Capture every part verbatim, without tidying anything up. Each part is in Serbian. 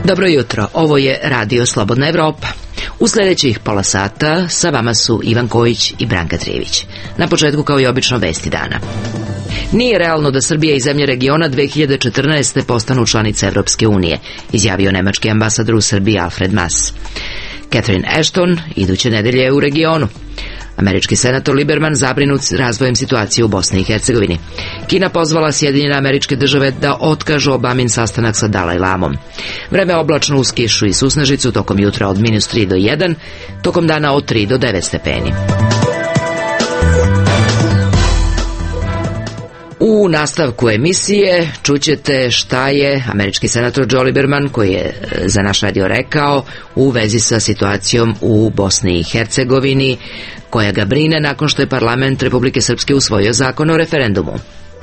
Dobro jutro, ovo je Radio Slobodna Evropa. U sljedećih pola sata sa vama su Ivan Kojić i Branka Trijević. Na početku, kao i obično, vesti dana. Nije realno da Srbija i zemlje regiona dve hiljade četrnaeste. postanu članice Evropske unije, izjavio nemački ambasador u Srbiji Alfred Mas. Catherine Ashton iduće nedelje je u regionu. Američki senator Liberman zabrinut razvojem situacije u Bosni i Hercegovini. Kina pozvala Sjedinjene Američke Države da otkažu Obamin sastanak sa Dalaj Lamom. Vreme oblačno uz kišu i susnežicu, tokom jutra od minus tri do jedan, tokom dana od tri do devet stepeni. U nastavku emisije čućete šta je američki senator Joe Liberman, koji je za naš radio rekao u vezi sa situacijom u Bosni i Hercegovini, koja ga brine nakon što je parlament Republike Srpske usvojio zakon o referendumu.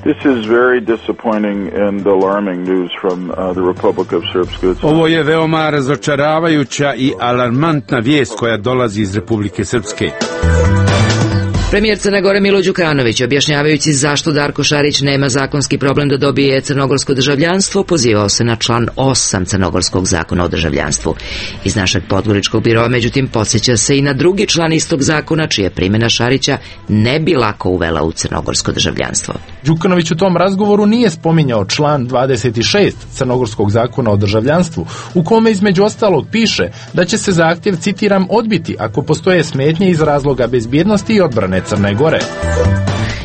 This is very disappointing and alarming news from uh, the Republic of Srpska. Ovo je veoma razočaravajuća i alarmantna vijest koja dolazi iz Republike Srpske. Premijer Crne Gore Milo Đukanović, objašnjavajući zašto Darko Šarić nema zakonski problem da dobije crnogorsko državljanstvo, pozivao se na član osam Crnogorskog zakona o državljanstvu. Iz našeg podgoričkog biroa, međutim, podsjeća se i na drugi član istog zakona, čija primjena Šarića ne bi lako uvela u crnogorsko državljanstvo. Đukanović u tom razgovoru nije spominjao član dvadeset šest Crnogorskog zakona o državljanstvu, u kome između ostalog piše da će se zahtjev, citiram, odbiti ako postoje smetnje iz razloga bezbjednosti i odbrane Crne Gore.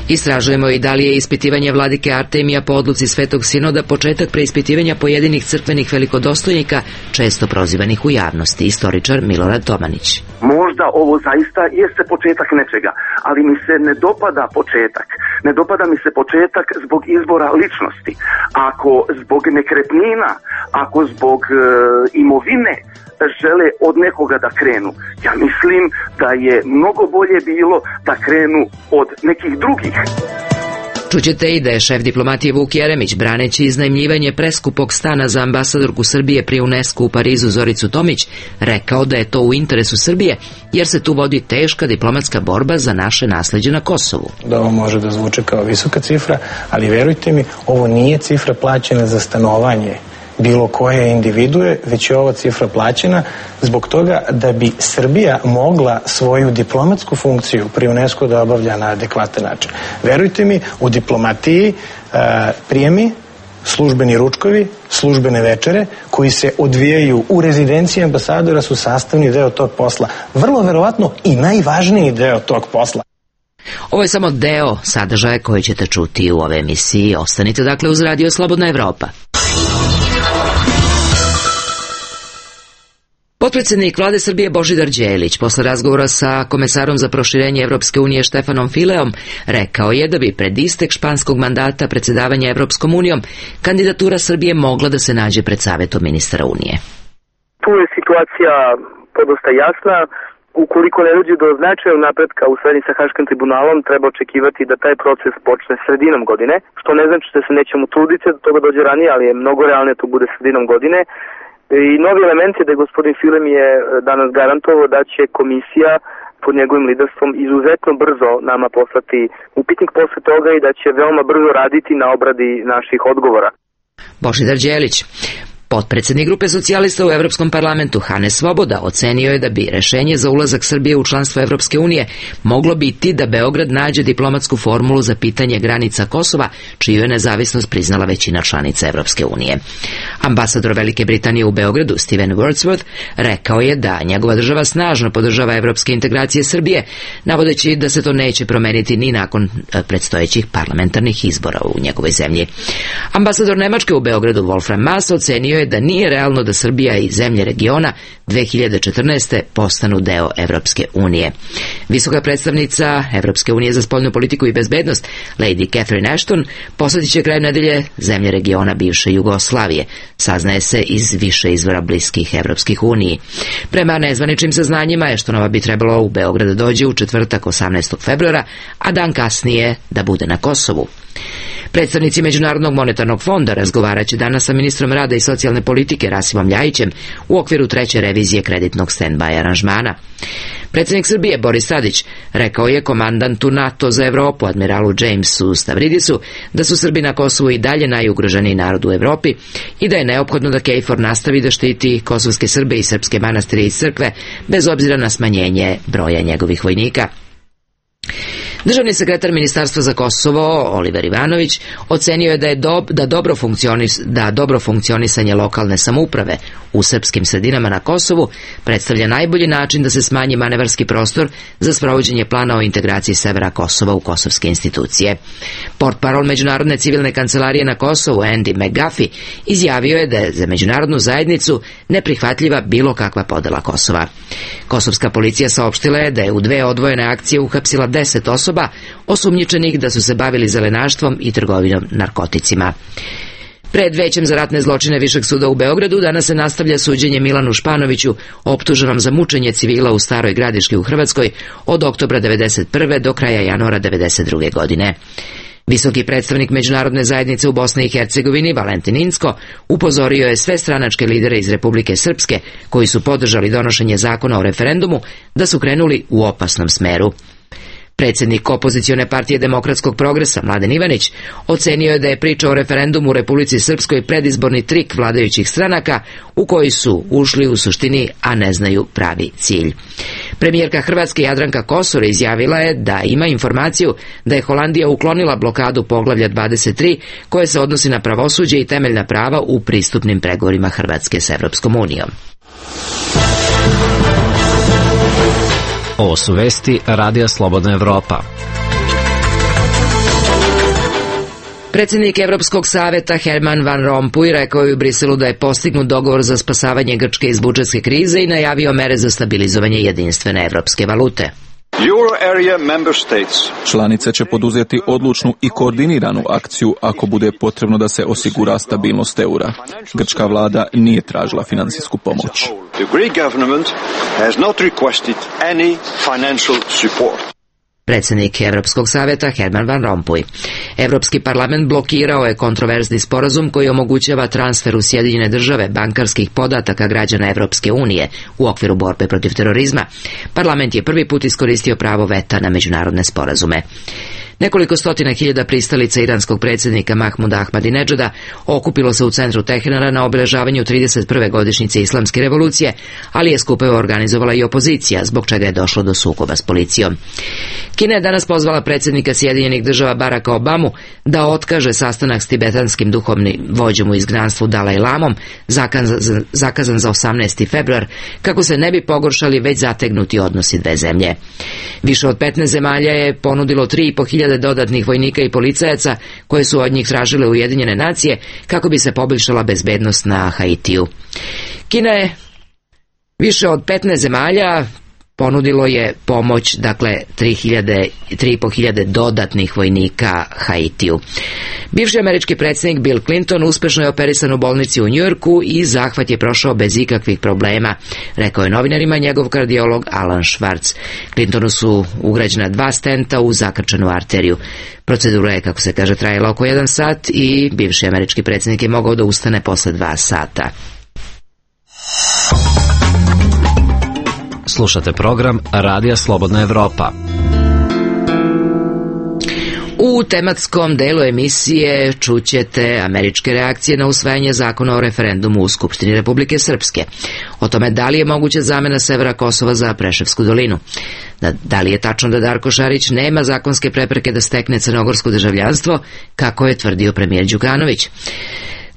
Istražujemo i da li je ispitivanje vladike Artemija po odluci Svetog Sinoda početak preispitivanja pojedinih crkvenih velikodostojnika, često prozivanih u javnosti, istoričar Milorad Tomanić. Možda ovo zaista jeste početak nečega, ali mi se ne dopada početak. Ne dopada mi se početak zbog izbora ličnosti. Ako zbog nekretnina, ako zbog e, imovine žele od nekoga da krenu, ja mislim da je mnogo bolje bilo da krenu od nekih drugih. Čućete i da je šef diplomatije Vuk Jeremić, braneći iznajmljivanje preskupog stana za ambasadorku Srbije pri UNESCO u Parizu Zoricu Tomić, rekao da je to u interesu Srbije, jer se tu vodi teška diplomatska borba za naše nasleđe na Kosovu. Da ovo može da zvuče kao visoka cifra, ali verujte mi, ovo nije cifra plaćena za stanovanje bilo koje individue, već je ova cifra plaćena zbog toga da bi Srbija mogla svoju diplomatsku funkciju pri UNESCO da obavlja na adekvatan način. Verujte mi, u diplomatiji uh, prijemi, službeni ručkovi, službene večere koji se odvijaju u rezidenciji ambasadora su sastavni deo tog posla. Vrlo verovatno i najvažniji deo tog posla. Ovo je samo deo sadržaja koji ćete čuti u ove emisiji. Ostanite dakle uz Radio Slobodna Evropa. Potpredsjednik vlade Srbije Božidar Đelić, posle razgovora sa komesarom za proširenje Evropske unije Štefanom Fileom, rekao je da bi pred istek španskog mandata predsjedavanja Evropskom unijom kandidatura Srbije mogla da se nađe pred Savetom ministara Unije. Tu je situacija podosta jasna. Ukoliko ne dođe do značajnog napretka u srednji sa Haškim tribunalom, treba očekivati da taj proces počne sredinom godine, što ne znači da se nećemo truditi da toga dođe ranije, ali je mnogo realnije to bude sredinom godine. I novi element je da je gospodin Filem je danas garantovao da će komisija pod njegovim liderstvom izuzetno brzo nama poslati upitnik posle toga i da će veoma brzo raditi na obradi naših odgovora. Božidar Đelić. Potpredsjednik grupe socijalista u Evropskom parlamentu Hane Svoboda ocenio je da bi rešenje za ulazak Srbije u članstvo Evropske unije moglo biti da Beograd nađe diplomatsku formulu za pitanje granica Kosova, čiju je nezavisnost priznala većina članica Evropske unije. Ambasador Velike Britanije u Beogradu Steven Wordsworth rekao je da njegova država snažno podržava evropske integracije Srbije, navodeći da se to neće promeniti ni nakon predstojećih parlamentarnih izbora u njegovoj zemlji. Ambasador Nemačke u Beogradu Wolfram Maas ocenio je da nije realno da Srbija i zemlje regiona dve hiljade četrnaeste. postanu deo Evropske unije. Visoka predstavnica Evropske unije za spoljnu politiku i bezbednost, Lady Catherine Ashton, posjetit će kraj nedelje zemlje regiona bivše Jugoslavije, saznaje se iz više izvora bliskih Evropskih uniji. Prema nezvaničnim saznanjima, Ashtonova bi trebalo u Beograd da dođe u četvrtak osamnaestog februara, a dan kasnije da bude na Kosovu. Predstavnici Međunarodnog monetarnog fonda razgovarat će danas sa ministrom rada i socijalne socijalne politike Rasimom Ljajićem u okviru treće revizije kreditnog stand-by aranžmana. Predsjednik Srbije Boris Tadić rekao je komandantu NATO za Evropu, admiralu Jamesu Stavridisu, da su Srbi na Kosovu i dalje najugroženiji narod u Evropi i da je neophodno da KFOR nastavi da štiti kosovske Srbe i srpske manastire i crkve bez obzira na smanjenje broja njegovih vojnika. Državni sekretar Ministarstva za Kosovo, Oliver Ivanović, ocenio je da je dob, da, dobro funkcionis, da dobro funkcionisanje lokalne samouprave u srpskim sredinama na Kosovu predstavlja najbolji način da se smanji manevarski prostor za sprovođenje plana o integraciji severa Kosova u kosovske institucije. Portparol Međunarodne civilne kancelarije na Kosovu, Andy McGuffey, izjavio je da je za međunarodnu zajednicu neprihvatljiva bilo kakva podela Kosova. Kosovska policija saopštila je da je u dve odvojene akcije uhapsila deset osoba osumnjičenih da su se bavili zelenaštvom i trgovinom narkoticima. Pred Većem za ratne zločine Višeg suda u Beogradu danas se nastavlja suđenje Milanu Španoviću, optuženom za mučenje civila u Staroj Gradiški u Hrvatskoj od oktobra devedeset prve do kraja januara devedeset druge godine. Visoki predstavnik međunarodne zajednice u Bosni i Hercegovini, Valentin Incko, upozorio je sve stranačke lidere iz Republike Srpske koji su podržali donošenje zakona o referendumu da su krenuli u opasnom smeru. Predsjednik opozicione partije Demokratskog progresa, Mladen Ivanić, ocenio je da je priča o referendumu u Republici Srpskoj predizborni trik vladajućih stranaka u koji su ušli u suštini, a ne znaju pravi cilj. Premijerka Hrvatske Jadranka Kosor izjavila je da ima informaciju da je Holandija uklonila blokadu poglavlja dvadeset tri koje se odnosi na pravosuđe i temeljna prava u pristupnim pregovorima Hrvatske s Evropskom unijom. Ovo su vesti Radija Slobodna Evropa. Predsjednik Evropskog saveta Herman Van Rompuy rekao je u Briselu da je postignut dogovor za spasavanje Grčke iz budžetske krize i najavio mere za stabilizovanje jedinstvene evropske valute. Članice će poduzeti odlučnu i koordiniranu akciju ako bude potrebno da se osigura stabilnost eura. Grčka vlada nije tražila financijsku pomoć. Predsjednik Evropskog saveta Herman Van Rompuy. Evropski parlament blokirao je kontroverzni sporazum koji omogućava transfer u Sjedinjene države bankarskih podataka građana Evropske unije u okviru borbe protiv terorizma. Parlament je prvi put iskoristio pravo veta na međunarodne sporazume. Nekoliko stotina hiljada pristalica iranskog predsjednika Mahmuda Ahmadinedžada okupilo se u centru Teherana na obeležavanju trideset prve godišnjice islamske revolucije, ali je skupove organizovala i opozicija, zbog čega je došlo do sukoba s policijom. Kina je danas pozvala predsjednika Sjedinjenih država Baracka Obamu da otkaže sastanak s tibetanskim duhovnim vođom u izgnanstvu Dalaj Lamom, zakazan, zakazan za osamnaesti februar, kako se ne bi pogoršali već zategnuti odnosi dve zemlje. Više od petnaest zemalja je ponudilo tri i po hiljade dodatnih vojnika i policajaca koje su od njih tražile Ujedinjene nacije kako bi se poboljšala bezbednost na Haitiju. Kina je više od petnaest zemalja ponudilo je pomoć, dakle tri i po hiljade dodatnih vojnika Haitiju. Bivši američki predsjednik Bill Clinton uspešno je operisan u bolnici u Njujorku i zahvat je prošao bez ikakvih problema, rekao je novinarima njegov kardiolog Alan Schwartz. Clintonu su ugrađena dva stenta u zakrčenu arteriju. Procedura je, kako se kaže, trajala oko jedan sat i bivši američki predsjednik je mogao da ustane posle dva sata. Slušate program Radija Slobodna Evropa. U tematskom delu emisije čućete američke reakcije na usvajanje zakona o referendumu u Skupštini Republike Srpske. O tome da li je moguća zamena severa Kosova za Preševsku dolinu. Da, da li je tačno da Darko Šarić nema zakonske prepreke da stekne crnogorsko državljanstvo, kako je tvrdio premijer Đukanović.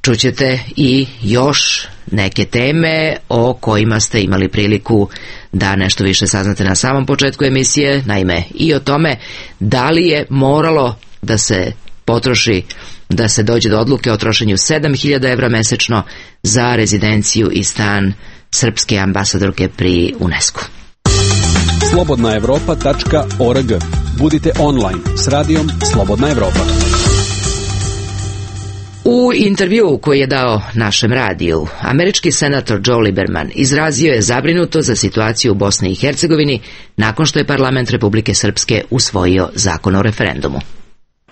Čućete i još neke teme o kojima ste imali priliku da nešto više saznate na samom početku emisije, naime i o tome da li je moralo da se potroši, da se dođe do odluke o trošenju sedam hiljada evra mesečno za rezidenciju i stan srpske ambasadorke pri UNESCO. slobodna evropa tačka org. Budite online s radijom Slobodna Evropa. U intervjuu koji je dao našem radiju, američki senator Joe Lieberman izrazio je zabrinuto za situaciju u Bosni i Hercegovini nakon što je parlament Republike Srpske usvojio zakon o referendumu.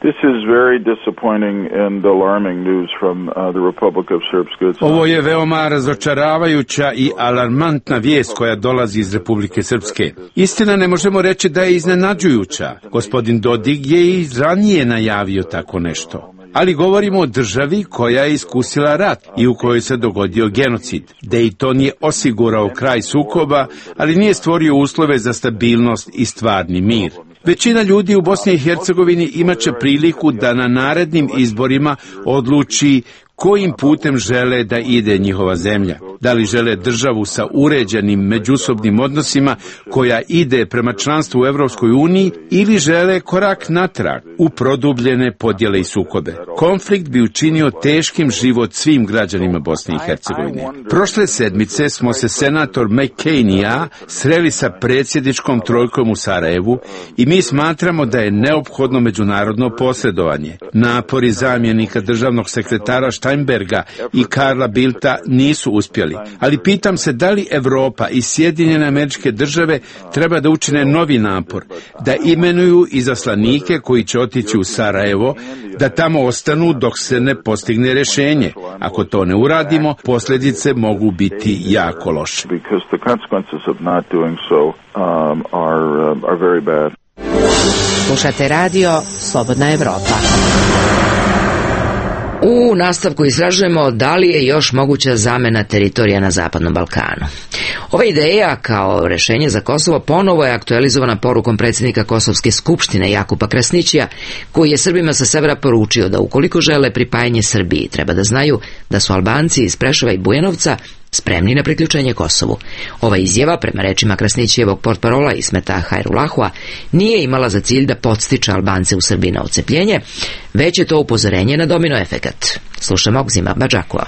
This is very disappointing and alarming news from uh, the Republic of Srpska. Ovo je veoma razočaravajuća i alarmantna vijest koja dolazi iz Republike Srpske. Istina, ne možemo reći da je iznenađujuća. Gospodin Dodik je i ranije najavio tako nešto. Ali govorimo o državi koja je iskusila rat i u kojoj se dogodio genocid. Dayton je osigurao kraj sukoba, ali nije stvorio uslove za stabilnost i stvarni mir. Većina ljudi u Bosni i Hercegovini imaće priliku da na narednim izborima odluči kojim putem žele da ide njihova zemlja. Da li žele državu sa uređenim međusobnim odnosima koja ide prema članstvu u Evropskoj uniji ili žele korak natrag u produbljene podjele i sukobe. Konflikt bi učinio teškim život svim građanima Bosne i Hercegovine. Prošle sedmice smo se senator McCain i ja sreli sa predsjedničkom trojkom u Sarajevu i mi smatramo da je neophodno međunarodno posredovanje. Napori zamjenika državnog sekretara Steinberga i Karla Bildta nisu uspjeli, ali pitam se da li Evropa i Sjedinjene Američke Države treba da učine novi napor, da imenuju izaslanike koji će otići u Sarajevo, da tamo ostanu dok se ne postigne rješenje. Ako to ne uradimo, posljedice mogu biti jako loše. Slušate radio Slobodna Evropa. U nastavku istražujemo da li je još moguća zamena teritorija na Zapadnom Balkanu. Ova ideja kao rješenje za Kosovo ponovo je aktualizovana porukom predsjednika Kosovske skupštine Jakupa Krasnićija, koji je Srbima sa severa poručio da ukoliko žele pripajanje Srbiji, treba da znaju da su Albanci iz Preševa i Bujanovca spremni na priključenje Kosovu. Ova izjava, prema rečima Krasnićijevog portparola Ismeta Hajrulahua, nije imala za cilj da podstiče Albance u Srbiji na odcepljenje, već je to upozorenje na domino efekat. Slušamo Ogzima Badžakova.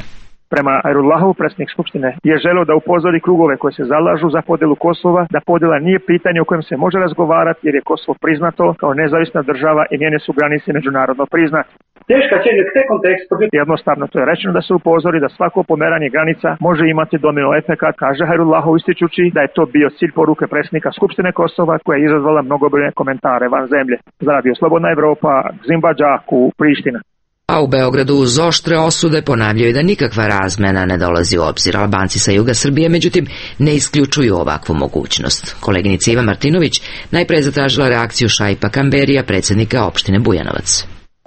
Prema Hajrullahu, predsjednik Skupštine je želeo da upozori krugove koje se zalažu za podjelu Kosova, da podjela nije pitanje o kojem se može razgovarati jer je Kosovo priznato kao nezavisna država i njene su granice međunarodno priznate. Teška će te kontekst. Jednostavno to je rečeno da se upozori da svako pomeranje granica može imati domino efekat, kaže Hajrullahu, ističući da je to bio cilj poruke predsjednika Skupštine Kosova koja je izazvala mnogobrojne komentare van zemlje. Za Radio Slobodna Evropa, Ogzim Badžaku, Priština. A u Beogradu uz oštre osude ponavljaju da nikakva razmena ne dolazi u obzir. Albanci sa juga Srbije, međutim, ne isključuju ovakvu mogućnost. Koleginica Iva Martinović najpre zatražila reakciju Šaipa Kamberija, predsjednika opštine Bujanovac.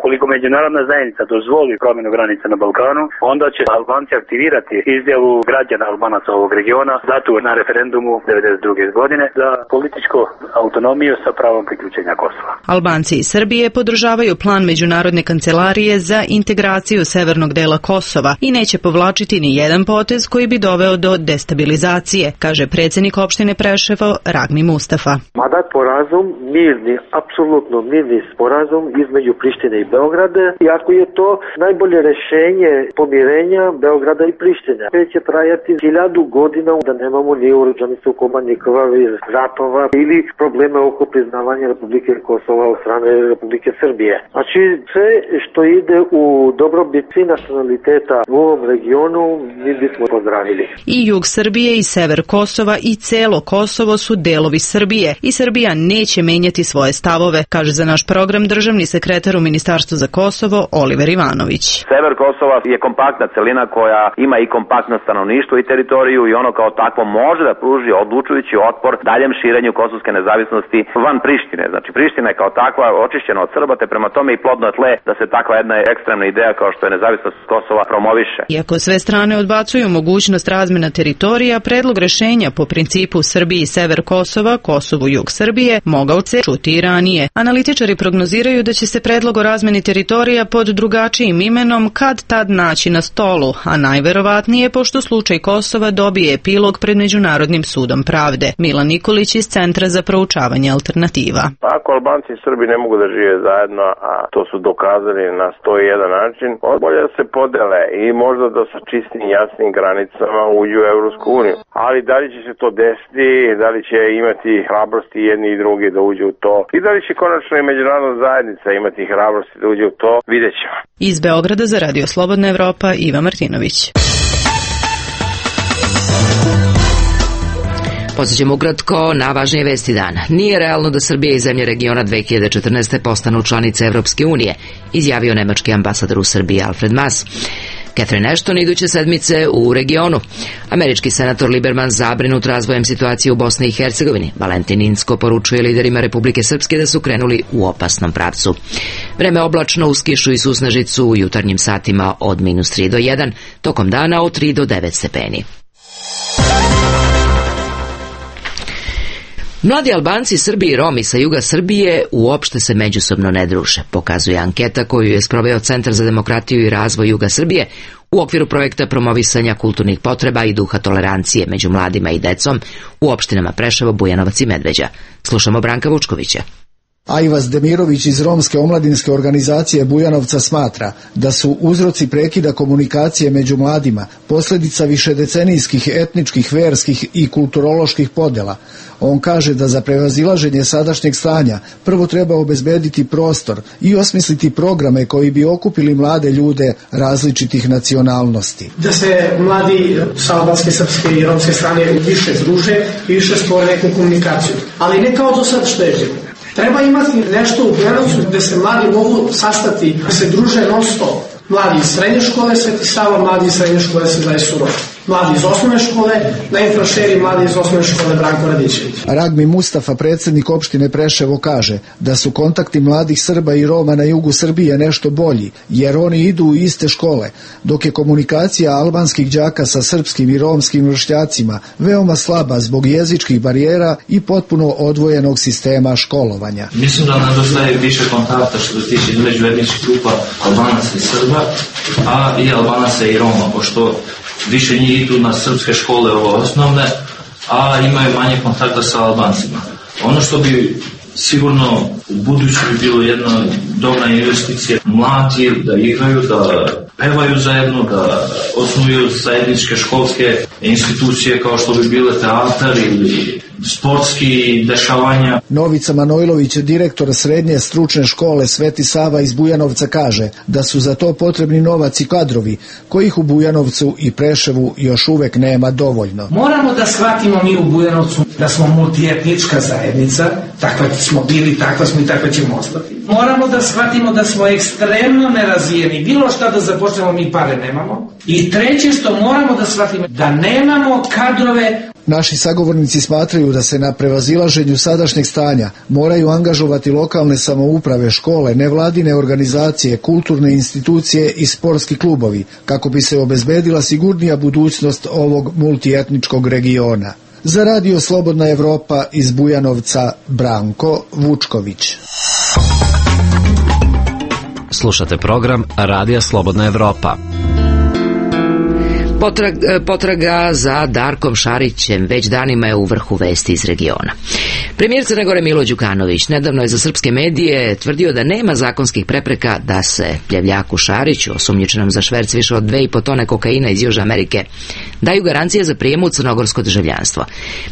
Ukoliko međunarodna zajednica dozvoli promjenu granica na Balkanu, onda će Albanci aktivirati izjavu građana Albanaca ovog regiona datu na referendumu devedeset druge godine za političku autonomiju sa pravom priključenja Kosova. Albanci iz Srbije podržavaju plan Međunarodne kancelarije za integraciju severnog dela Kosova i neće povlačiti ni jedan potez koji bi doveo do destabilizacije, kaže predsjednik opštine Preševo Ragni Mustafa. Mada sporazum mirni, apsolutno mirni sporazum između Prištine i Beograda, i ako je to najbolje rješenje pomirenja Beograda i Prištine, sve će trajati hiljadu godina da nemamo ni oružanih sukoba, ni krvavih ratova ili probleme oko priznavanja Republike Kosova od strane Republike Srbije. Znači sve što ide u dobrobit svih nacionaliteta u ovom regionu mi bismo pozdravili. I jug Srbije i sever Kosova i celo Kosovo su delovi Srbije i Srbija neće menjati svoje stavove, kaže za naš program državni sekretar u Ministarstvu za Kosovo Oliver Ivanović. Sever Kosova je kompaktna celina koja ima i kompaktno stanovništvo i teritoriju i ono kao takvo može da pruži odlučujući otpor daljem širenju kosovske nezavisnosti van Prištine. Znači Priština je kao takva očišćena od Srba, te prema tome i plodno tle da se takva jedna ekstremna ideja kao što je nezavisnost Kosova promoviše. Iako sve strane odbacuju mogućnost razmena teritorija, predlog rešenja po principu Srbiji sever Kosova, Kosovu jug Srbije mogao se čuti i ranije. Analitičari prognoziraju da će se predlog o razmeni teritorija pod drugačijim imenom kad tad naći na stolu, a najverovatnije pošto slučaj Kosova dobije epilog pred Međunarodnim sudom pravde. Milan Nikolić iz Centra za proučavanje alternativa. Ako Albanci i Srbi ne mogu da žive zajedno, a to su dokazali na sto jedan način, bolje da se podele i možda da sa čistim jasnim granicama uđu u Evropsku uniju. Ali da li će se to desiti, da li će imati hrabrosti jedni i drugi da uđu u to i da li će konačno i međunarodna zajednica imati hrabrosti da uđe u to, vidjet ćemo. Iz Beograda za Radio Slobodna Evropa, Iva Martinović. Posjećamo ukratko na važnije vesti dana. Nije realno da Srbija i zemlje regiona dve hiljade četrnaeste. postanu članice Evropske unije, izjavio nemački ambasador u Srbiji Alfred Mas. Catherine Ashton iduće sedmice u regionu. Američki senator Liberman zabrinut razvojem situacije u Bosni i Hercegovini. Valentin Incko poručuje liderima Republike Srpske da su krenuli u opasnom pravcu. Vreme oblačno uz kišu i susnežicu u jutarnjim satima od minus tri do jedan, tokom dana od tri do devet stepeni. Mladi Albanci, Srbi i Romi sa juga Srbije uopšte se međusobno ne druže, pokazuje anketa koju je sproveo Centar za demokratiju i razvoj juga Srbije u okviru projekta promovisanja kulturnih potreba i duha tolerancije među mladima i decom u opštinama Preševo, Bujanovac i Medveđa. Slušamo Branka Vučkovića. Ajvaz Demirović iz Romske omladinske organizacije Bujanovca smatra da su uzroci prekida komunikacije među mladima posljedica višedecenijskih etničkih, verskih i kulturoloških podjela. On kaže da za prevazilaženje sadašnjeg stanja prvo treba obezbediti prostor i osmisliti programe koji bi okupili mlade ljude različitih nacionalnosti. Da se mladi sa albanske, srpske i romske strane više združe i više stvore neku komunikaciju. Ali ne kao do sad što je živo. Treba imati nešto u Bujanovcu gde se mladi mogu sastati, da se druže non stop. Mladi iz srednje škole Sveti Sava, mladi iz srednje škole Svetozar Surov. Mladi iz osnovne škole na Infrašeri, mladi iz osnovne škole Branko Radičević. Ragmi Mustafa, predsjednik opštine Preševo, kaže da su kontakti mladih Srba i Roma na jugu Srbije nešto bolji, jer oni idu u iste škole, dok je komunikacija albanskih đaka sa srpskim i romskim vršnjacima veoma slaba zbog jezičkih barijera i potpuno odvojenog sistema školovanja. Mislim da nedostaje više kontakta što se tiče između etničkih grupa Albanaca i Srba, a i Albanaca i Roma, pošto više njih idu na srpske škole ovo osnovne, a imaju manje kontakta sa Albancima. Ono što bi sigurno u budući bi bilo jedna dobra investicija, mladi da igraju, da pevaju zajedno, da osnuju zajedničke školske institucije kao što bi bile teatar ili sportski dešavanja. Novica Manojlović, direktor srednje stručne škole Sveti Sava iz Bujanovca, kaže da su za to potrebni novac i kadrovi, kojih u Bujanovcu i Preševu još uvek nema dovoljno. Moramo da shvatimo mi u Bujanovcu da smo multietnička zajednica, takva smo bili, takva smo i takva ćemo ostati. Moramo da shvatimo da smo ekstremno nerazvijeni, bilo šta da započnemo mi pare nemamo. I treće što moramo da shvatimo, da nemamo kadrove. Naši sagovornici smatraju da se na prevazilaženju sadašnjeg stanja moraju angažovati lokalne samouprave, škole, nevladine organizacije, kulturne institucije i sportski klubovi, kako bi se obezbedila sigurnija budućnost ovog multietničkog regiona. Za Radio Slobodna Evropa iz Bujanovca, Branko Vučković. Slušate program Radija Slobodna Evropa. Potrag, potraga za Darkom Šarićem već danima je u vrhu vesti iz regiona. Premijer Crne Gore Milo Đukanović nedavno je za srpske medije tvrdio da nema zakonskih prepreka da se pljevljaku Šariću, osumnjičenom za šverc više od dve i po tone kokaina iz Južne Amerike, daju garancije za prijem u crnogorsko državljanstvo.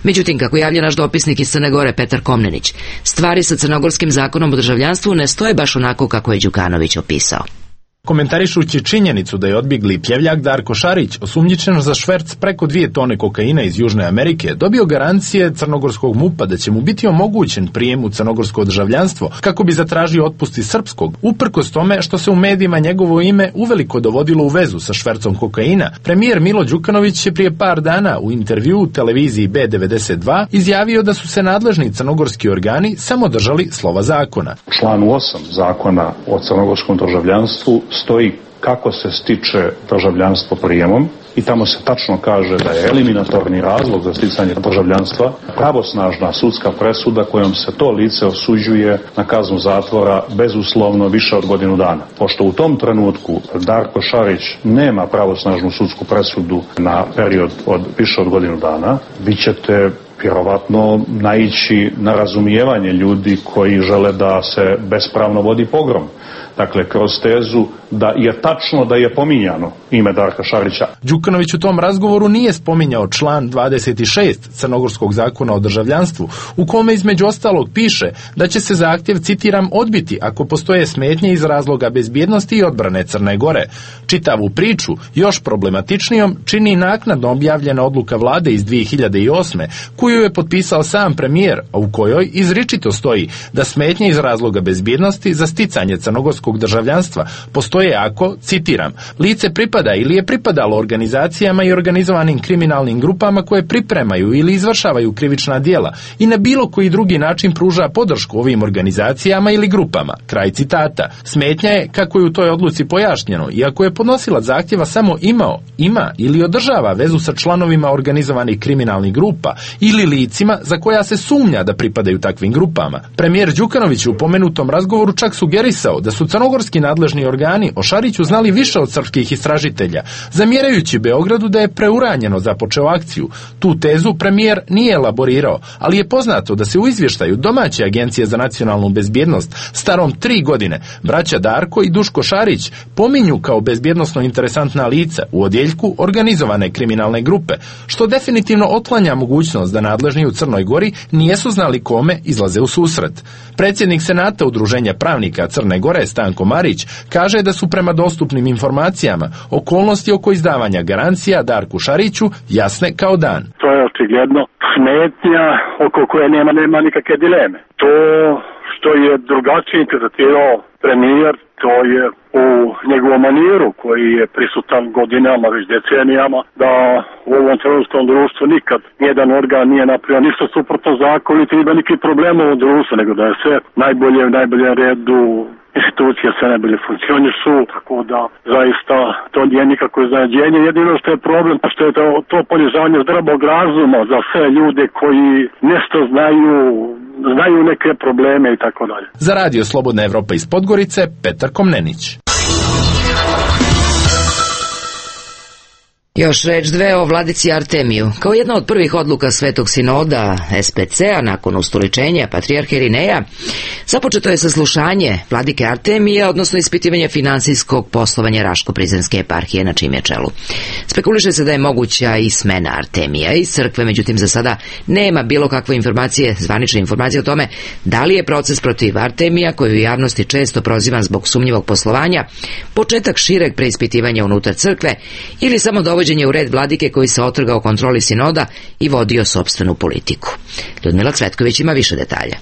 Međutim, kako javlja naš dopisnik iz Crne Gore Petar Komnenić, stvari sa crnogorskim zakonom o državljanstvu ne stoje baš onako kako je Đukanović opisao. Komentarišući činjenicu da je odbjegli pljevljak Darko Šarić, osumnjičen za šverc preko dvije tone kokaina iz Južne Amerike, dobio garancije crnogorskog MUP-a da će mu biti omogućen prijem u crnogorsko državljanstvo kako bi zatražio otpust iz srpskog, uprkos tome što se u medijima njegovo ime uveliko dovodilo u vezu sa švercom kokaina. Premijer Milo Đukanović je prije par dana u intervjuu u televiziji B devedeset dva izjavio da su se nadležni crnogorski organi samo držali slova zakona. Član osam zakona o crnogorskom državljanstvu stoji kako se stiče državljanstvo prijemom i tamo se tačno kaže da je eliminatorni razlog za sticanje državljanstva pravosnažna sudska presuda kojom se to lice osuđuje na kaznu zatvora bezuslovno više od godinu dana. Pošto u tom trenutku Darko Šarić nema pravosnažnu sudsku presudu na period od više od godinu dana, vi ćete vjerovatno naići na razumijevanje ljudi koji žele da se bespravno vodi pogrom. dakle kroz tezu da je tačno da je pominjano ime Darka Šarića. Đukanović u tom razgovoru nije spominjao član dvadeset šest Crnogorskog zakona o državljanstvu, u kome između ostalog piše da će se zahtjev, citiram, odbiti ako postoje smetnje iz razloga bezbjednosti i odbrane Crne Gore. Čitavu priču još problematičnijom čini naknadno objavljena odluka vlade iz dvije hiljade osme koju je potpisao sam premijer, a u kojoj izričito stoji da smetnje iz razloga bezbjednosti za sticanje crnogorskog državljanstva postoje ako, citiram, lice pripada ili je pripadalo organizacijama i organizovanim kriminalnim grupama koje pripremaju ili izvršavaju krivična djela i na bilo koji drugi način pruža podršku ovim organizacijama ili grupama. Kraj citata. Smetnja je, kako je u toj odluci pojašnjeno, iako je podnosilac zahtjeva samo imao, ima ili održava vezu sa članovima organizovanih kriminalnih grupa ili licima za koja se sumnja da pripadaju takvim grupama. Premijer Đukanović u pomenutom razgovoru čak sugerisao da su crnogorski nadležni organi o Šariću znali više od srpskih istražitelja, zamjerajući Beogradu da je preuranjeno započeo akciju. Tu tezu premijer nije elaborirao, ali je poznato da se u izvještaju domaće agencije za nacionalnu bezbjednost starom tri godine braća Darko i Duško Šarić pominju kao bezbjednosno interesantna lica u odjeljku organizovane kriminalne grupe, što definitivno otklanja mogućnost da nadležni u Crnoj Gori nijesu znali kome izlaze u susret. Predsjednik Senata Udruženja pravnika Crne Gore Stanko Marić kaže da su prema dostupnim informacijama okolnosti oko izdavanja garancija Darku Šariću jasne kao dan. To je očigledno smetnja oko koje nema, nema nikakve dileme. To što je drugačije interpretirao premijer, to je u njegovom maniru koji je prisutan godinama, već decenijama, da u ovom crnogorskom društvu nikad nijedan organ nije napravio ništa suprotno zakonu, niti ima nikakvih problema u društvu, nego da je sve najbolje u najboljem redu, institucije sve najbolje funkcionišu, tako da zaista to nije nikako iznenađenje. Jedino što je problem, što je to, to ponižavanje zdravog razuma za sve ljude koji nešto znaju, znaju neke probleme i tako dalje. Za radio Slobodna Evropa iz Podgorice, Petar Komnenić. Još reč dve o vladici Artemiju. Kao jedna od prvih odluka Svetog sinoda S P C-a nakon ustoličenja patrijarha Irineja, započeto je saslušanje vladike Artemije, odnosno ispitivanje finansijskog poslovanja Raško-Prizrenske eparhije na čijem je čelu. Spekuliše se da je moguća i smena Artemija iz crkve, međutim za sada nema bilo kakve informacije, zvanične informacije o tome da li je proces protiv Artemija, koju u javnosti često prozivan zbog sumnjivog poslovanja, početak šireg preispitivanja unutar crkve ili samo dovođenje u red vladike koji se otrgao kontroli sinoda i vodio sopstvenu politiku. Ljudmila Cvetković ima više detalja.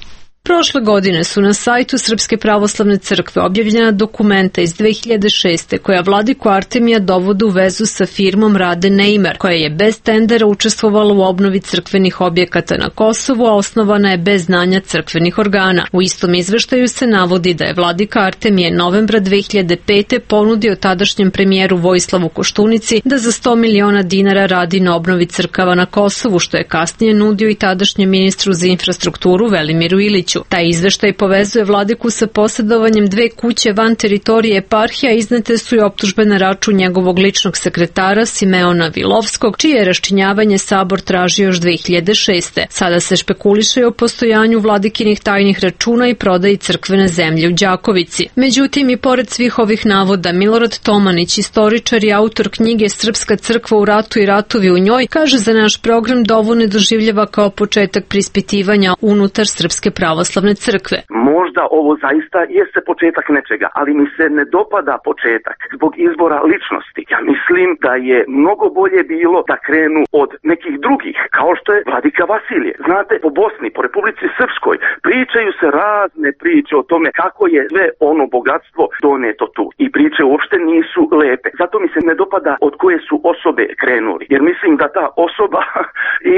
Prošle godine su na sajtu Srpske pravoslavne crkve objavljena dokumenta iz dve hiljade šeste koja vladiku Artemija dovode u vezu sa firmom Rade Neimer, koja je bez tendera učestvovala u obnovi crkvenih objekata na Kosovu, a osnovana je bez znanja crkvenih organa. U istom izveštaju se navodi da je vladika Artemije novembra dve hiljade pete ponudio tadašnjem premijeru Vojislavu Koštunici da za sto miliona dinara radi na obnovi crkava na Kosovu, što je kasnije nudio i tadašnjem ministru za infrastrukturu Velimiru Iliću. Taj izveštaj povezuje vladiku sa posjedovanjem dve kuće van teritorije eparhija, iznete su i optužbe na račun njegovog ličnog sekretara Simeona Vilovskog, čije je raščinjavanje sabor tražio još dve hiljade šeste. Sada se špekuliše o postojanju vladikinih tajnih računa i prodaji crkvene zemlje u Đakovici. Međutim, i pored svih ovih navoda, Milorad Tomanić, istoričar i autor knjige Srpska crkva u ratu i ratovi u njoj, kaže za naš program da ovo ne doživljava kao početak preispitivanja unutar Srpske pravoslavne crkve. Možda ovo zaista jeste početak nečega, ali mi se ne dopada početak zbog izbora ličnosti. Ja mislim da je mnogo bolje bilo da krenu od nekih drugih, kao što je vladika Vasilije. Znate, po Bosni, po Republici Srpskoj pričaju se razne priče o tome kako je sve ono bogatstvo doneto tu. I priče uopšte nisu lepe. Zato mi se ne dopada od koje su osobe krenuli. Jer mislim da ta osoba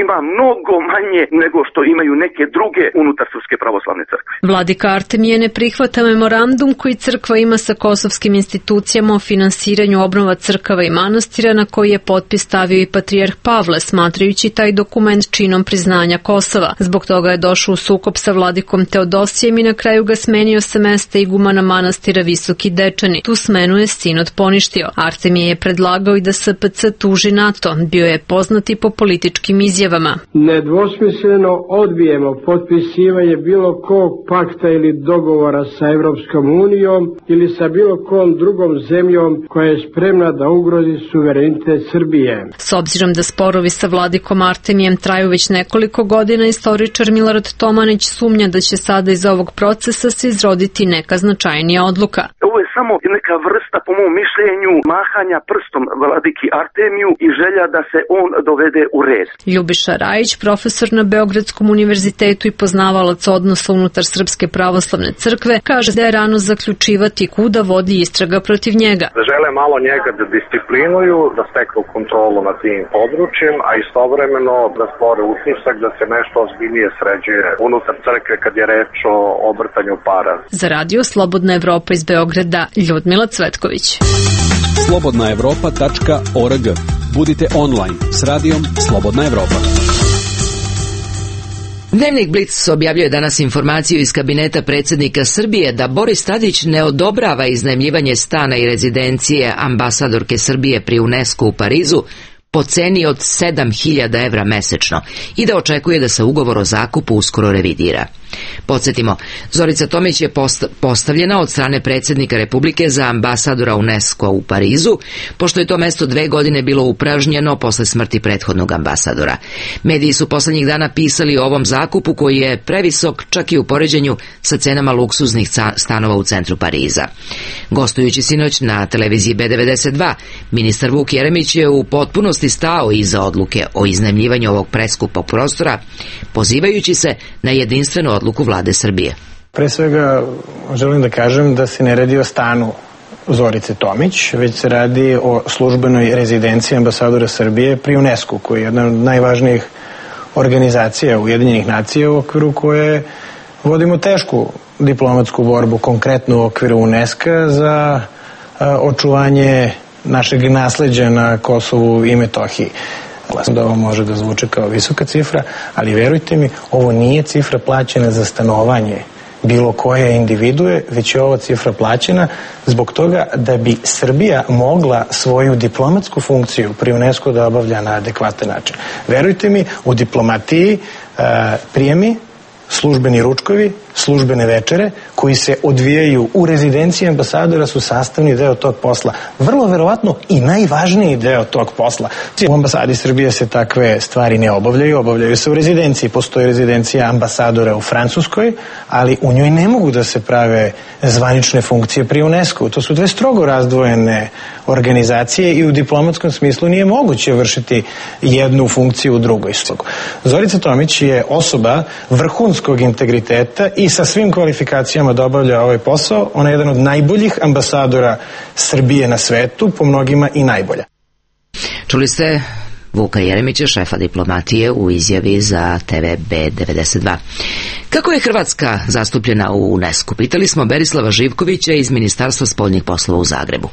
ima mnogo manje nego što imaju neke druge unutar Srpske pravoslavne crkve. Vladika Artemije ne prihvata memorandum koji crkva ima sa kosovskim institucijama o finansiranju obnova crkava i manastira, na koji je potpis stavio i patrijarh Pavle, smatrajući taj dokument činom priznanja Kosova. Zbog toga je došao u sukob sa vladikom Teodosijem i na kraju ga smenio sa mesta igumana manastira Visoki Dečani. Tu smenu je sinod poništio. Artemije je predlagao i da S P C tuži NATO. Bio je poznat i po političkim izjavama. Nedvosmisleno odbijemo potpisivanje bilo bilo kog pakta ili dogovora sa Evropskom unijom ili sa bilo kom drugom zemljom koja je spremna da ugrozi suverenitet Srbije. S obzirom da sporovi sa vladikom Artemijem traju već nekoliko godina, istoričar Milorad Tomanić sumnja da će sada iz ovog procesa se izroditi neka značajnija odluka. Ovo je samo neka vrsta, po mom mišljenju, mahanja prstom vladiki Artemiju i želja da se on dovede u red. Ljubiša Rajić, profesor na Beogradskom univerzitetu i poznavalac odnosa unutar Srpske pravoslavne crkve, kaže da je rano zaključivati kuda vodi istraga protiv njega. Da žele malo njega da disciplinuju, da steknu kontrolu nad tim područjem, a istovremeno da stvore utisak da se nešto ozbiljnije sređuje unutar crkve kad je reč o obrtanju para. Za radio Slobodna Evropa iz Beograda, Ljudmila Cvetković. slobodna evropa tačka org. Budite online s radijom Slobodna Evropa. Dnevnik Blic objavljuje danas informaciju iz kabineta predsjednika Srbije da Boris Tadić ne odobrava iznajmljivanje stana i rezidencije ambasadorke Srbije pri UNESCO u Parizu po ceni od sedam hiljada evra mesečno i da očekuje da se ugovor o zakupu uskoro revidira. Podsjetimo, Zorica Tomić je postavljena od strane predsjednika Republike za ambasadora UNESCO u Parizu, pošto je to mesto dve godine bilo upražnjeno posle smrti prethodnog ambasadora. Mediji su poslednjih dana pisali o ovom zakupu koji je previsok čak i u poređenju sa cenama luksuznih stanova u centru Pariza. Gostujući sinoć na televiziji B devedeset dva, ministar Vuk Jeremić je u potpunosti stao iza odluke o iznajmljivanju ovog preskupog prostora, pozivajući se na jedinstvenu odluku vlade Srbije. Pre svega želim da kažem da se ne radi o stanu Zorice Tomić, već se radi o službenoj rezidenciji ambasadora Srbije pri UNESCO, koji je jedna od najvažnijih organizacija Ujedinjenih nacija u okviru koje vodimo tešku diplomatsku borbu, konkretno u okviru UNESCO za očuvanje našeg nasleđa na Kosovu i Metohiji. Da ovo može da zvuče kao visoka cifra, ali verujte mi, ovo nije cifra plaćena za stanovanje bilo koje individue, već je ova cifra plaćena zbog toga da bi Srbija mogla svoju diplomatsku funkciju pri UNESCO da obavlja na adekvatan način. Verujte mi, u diplomatiji uh, prijemi, službeni ručkovi, službene večere koji se odvijaju u rezidenciji ambasadora su sastavni deo tog posla. Vrlo verovatno i najvažniji deo tog posla. U ambasadi Srbije se takve stvari ne obavljaju, obavljaju se u rezidenciji. Postoji rezidencija ambasadora u Francuskoj, ali u njoj ne mogu da se prave zvanične funkcije pri UNESCO. To su dve strogo razdvojene organizacije i u diplomatskom smislu nije moguće vršiti jednu funkciju u drugoj. Zorica Tomić je osoba vrhunskog integriteta i sa svim kvalifikacijama da obavlja ovaj posao. Ona je jedan od najboljih ambasadora Srbije na svetu, po mnogima i najbolja. Čuli ste Vuka Jeremića, šefa diplomatije, u izjavi za T V B devedeset dva. Kako je Hrvatska zastupljena u UNESCO? Pitali smo Berislava Živkovića iz Ministarstva spoljnih poslova u Zagrebu.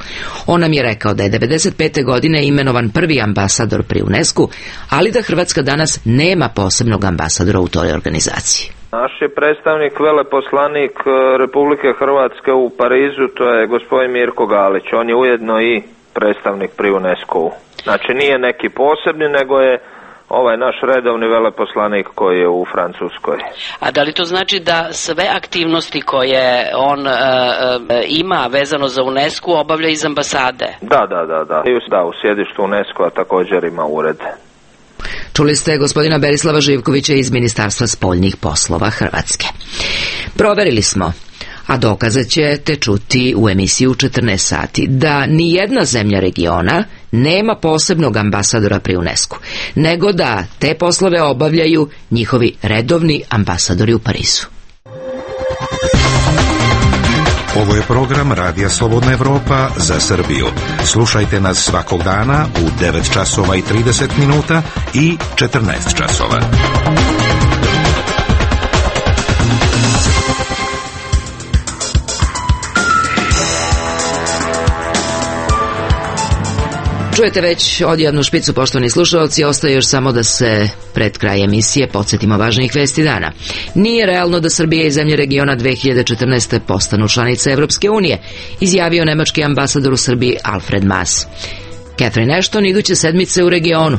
On nam je rekao da je devedeset pete godine imenovan prvi ambasador pri UNESCO, ali da Hrvatska danas nema posebnog ambasadora u toj organizaciji. Naš je predstavnik, veleposlanik Republike Hrvatske u Parizu, to je gospodin Mirko Galić. On je ujedno i predstavnik pri UNESCO-u. Znači nije neki posebni, nego je ovaj naš redovni veleposlanik koji je u Francuskoj. A da li to znači da sve aktivnosti koje on e, e, ima vezano za UNESCO obavlja iz ambasade? Da, da, da, da. Da, u sjedištu UNESCO-a također ima ured. Čuli ste gospodina Berislava Živkovića iz Ministarstva spoljnih poslova Hrvatske. Proverili smo, a dokaze ćete čuti u emisiji u četrnaest sati, da ni jedna zemlja regiona nema posebnog ambasadora pri UNESCO, nego da te poslove obavljaju njihovi redovni ambasadori u Parizu. Ovo je program Radija Slobodna Evropa za Srbiju. Slušajte nas svakog dana u devet časova i trideset minuta i četrnaest časova. Čujete već odjednu špicu, poštovani slušalci, ostaje još samo da se pred kraj emisije podsjetimo važnijih vesti dana. Nije realno da Srbija i zemlje regiona dve hiljade četrnaeste. postanu članice Evropske unije, izjavio nemački ambasador u Srbiji Alfred Maas. Catherine Ashton iduće sedmice u regionu.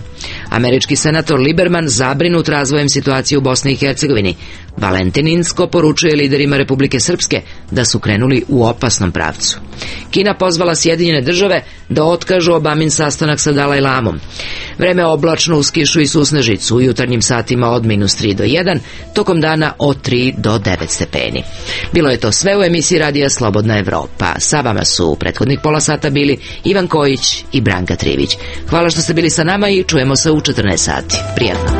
Američki senator Liberman zabrinut razvojem situacije u Bosni i Hercegovini. Valentin Inzko poručuje liderima Republike Srpske da su krenuli u opasnom pravcu. Kina pozvala Sjedinjene države da otkažu Obamin sastanak sa Dalaj Lamom. Vreme oblačno uz kišu i susnežicu, u jutarnjim satima od minus tri do jedan, tokom dana od tri do devet stepeni. Bilo je to sve u emisiji Radija Slobodna Evropa. Sa vama su u prethodnih pola sata bili Ivan Kojić i Branka Trivić. Hvala što ste bili sa nama i čujemo se u četrnaest sati. Prijatno.